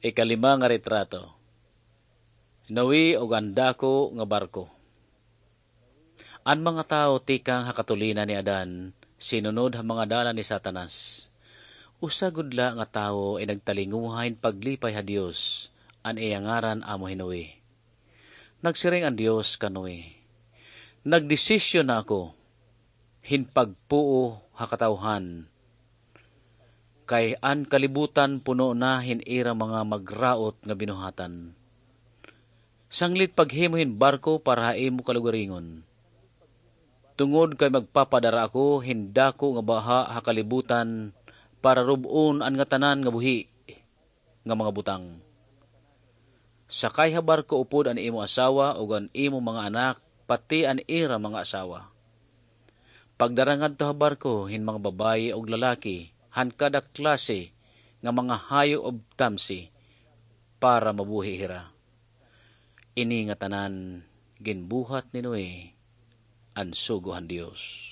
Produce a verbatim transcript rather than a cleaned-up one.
Ikalima nga retrato. Noe ug an dako nga barko. An mga tawo tikang ha katulinan ni Adan sinunod ha mga dalan ni Satanas. Usa gud la nga tawo in nagtalinguha hin paglipay ha Dios, an iya ngaran amo hi Noe. Nagsiring an Dios kan Noe, "Nagdesisyon na ako hin pagpuo ha katawhan, kay an kalibutan puno na hin ira mga magraot nga binuhatan. Sanglit paghimo hin barko para ha imo kalugaringon, tungod kay magpapadara ako hin dako nga baha ha kalibutan para rub-on an ngatanan nga buhi nga mga butang. Sakay ha barko upod an imo asawa ug an imo mga anak, pati an ira mga asawa. Pagdara ngadto ha barko hin mga babaye ug lalaki han kada klase nga mga hayop ug tamsi, para mabuhi hira." Ini ngatanan ginbuhat ni Noe, an sugo han Dios.